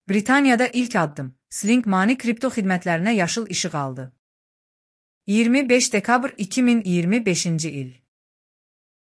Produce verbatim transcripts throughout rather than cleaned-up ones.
Britaniyada ilk addım. Sling Money kripto xidmətlərinə yaşıl işıq aldı. iyirmi beş dekabr iki min iyirmi beşinci il.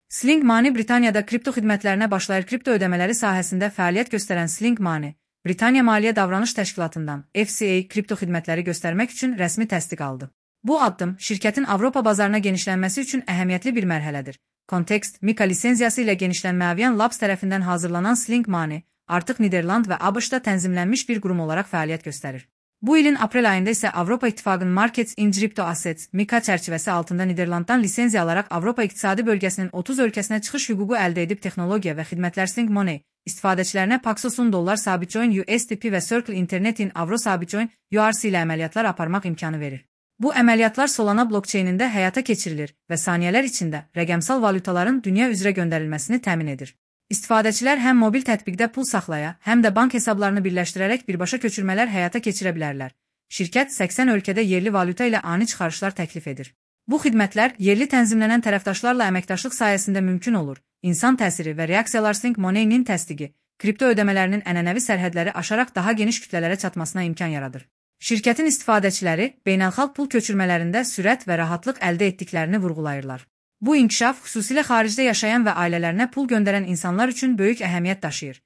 Sling Money Britaniyada kripto xidmətlərinə başlayır. Kripto ödəmələri sahəsində fəaliyyət göstərən Sling Money, Britaniya Maliyyə Davranış Təşkilatından F C A kripto xidmətləri göstərmək üçün rəsmi təsdiq aldı. Bu addım şirkətin Avropa bazarına genişlənməsi üçün əhəmiyyətli bir mərhələdir. Context, Mika lisenziyası ilə genişlənmə Avian Labs tərəfindən hazırlanan Sling Money artıq Niderland və ABŞ-da tənzimlənmiş bir qurum olaraq fəaliyyət göstərir. Bu ilin aprel ayında isə Avropa İttifaqının Markets in Crypto Assets Mika çərçivəsi altında Niderlanddan lisenziya alaraq Avropa İqtisadi Bölgəsinin otuz ölkəsinə çıxış hüququ əldə edib texnologiya və xidmətlər Sling Money istifadəçilərinə Paxos on dollar sabitcoin U S D P və Circle Internetin Avro sabitcoin U R C ilə əməliyyatlar aparmaq imkanı verir. Bu əməliyyatlar Solana blokçeynində həyata keçirilir və saniyələr içində rəqəmsal valyutaların dünya üzrə göndərilməsini təmin edir. İstifadəçilər həm mobil tətbiqdə pul saxlaya, həm də bank hesablarını birləşdirərək birbaşa köçürmələr həyata keçirə bilərlər. Şirkət səksən ölkədə yerli valyuta ilə ani çıxarışlar təklif edir. Bu xidmətlər yerli tənzimlənən tərəfdaşlarla əməkdaşlıq sayəsində mümkün olur. İnsan təsiri və reaksiyalar Sling Money-nin təsdiqi, kripto ödəmələrinin ənənəvi sərhədləri aşaraq daha geniş kütlələrə çatmasına imkan yaradır. Şirkətin istifadəçiləri beynəlxalq pul köçürmələrində sürət və rahatlıq əldə etdiklərini vurğulayırlar. Bu inkişaf xüsusilə xaricdə yaşayan və ailələrinə pul göndərən insanlar üçün böyük əhəmiyyət daşıyır.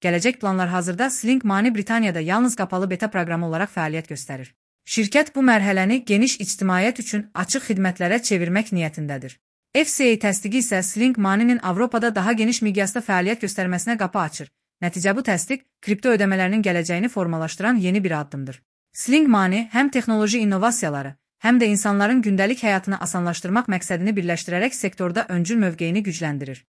Gələcək planlar hazırda Sling Money Britaniyada yalnız qapalı beta proqramı olaraq fəaliyyət göstərir. Şirkət bu mərhələni geniş ictimaiyyət üçün açıq xidmətlərə çevirmək niyyətindədir. F C A təsdiqi isə Sling Money-nin Avropada daha geniş miqyasda fəaliyyət göstərməsinə qapı açır. Nəticə bu təsdiq kripto ödəmələrinin gələcəyini formalaşdıran yeni bir addımdır. Sling Money həm texnoloji innovasiyaları, həm də insanların gündəlik həyatını asanlaşdırmaq məqsədini birləşdirərək sektorda öncül mövqeyini gücləndirir.